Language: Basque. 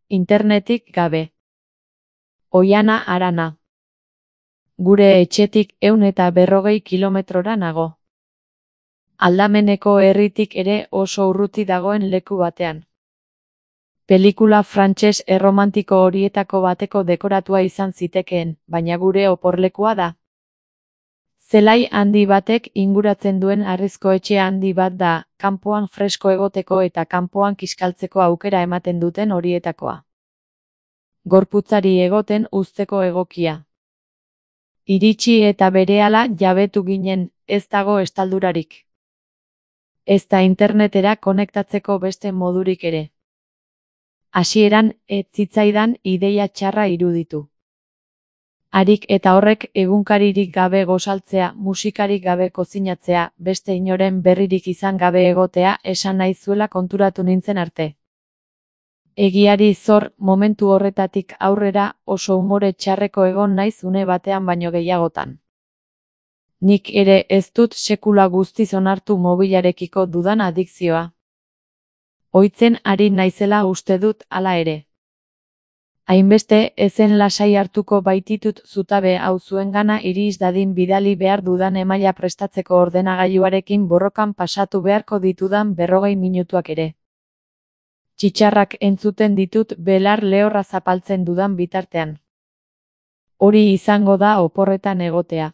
internetik gabe. Oiana Arana. Gure etxetik 140 kilometrora nago. Aldameneko herritik ere oso urruti dagoen leku batean. Pelikula frantses erromantiko horietako bateko dekoratua izan zitekeen, baina gure oporlekua da. Zelai handi batek inguratzen duen harrizko etxe handi bat da, kanpoan fresko egoteko eta kanpoan kiskaltzeko aukera ematen duten horietakoa. Gorputzari egoten uzteko egokia. Iritsi eta berehala jabetu ginen, ez dago estaldurarik. Ez da internetera konektatzeko beste modurik ere. Hasieran ez zitzaidan ideia txarra iruditu. Harik eta horrek egunkaririk gabe gozaltzea, musikarik gabe kozinatzea, beste inoren berririk izan gabe egotea esan nahi zuela konturatu nintzen arte. Egiari zor, momentu horretatik aurrera oso umore txarreko egon naiz une batean baino gehiagotan. Nik ere ez dut sekula guztiz onartu mobilarekiko dudan adikzioa. Ohitzen ari naizela uste dut hala ere. Hainbeste ezen lasai hartuko baititut zutabe hau zuengana iris dadin bidali behar dudan emaila prestatzeko ordenagailuarekin borrokan pasatu beharko ditudan 40 minutuak ere. Txitxarrak entzuten ditut belar lehorra zapaltzen dudan bitartean. Hori izango da oporretan egotea.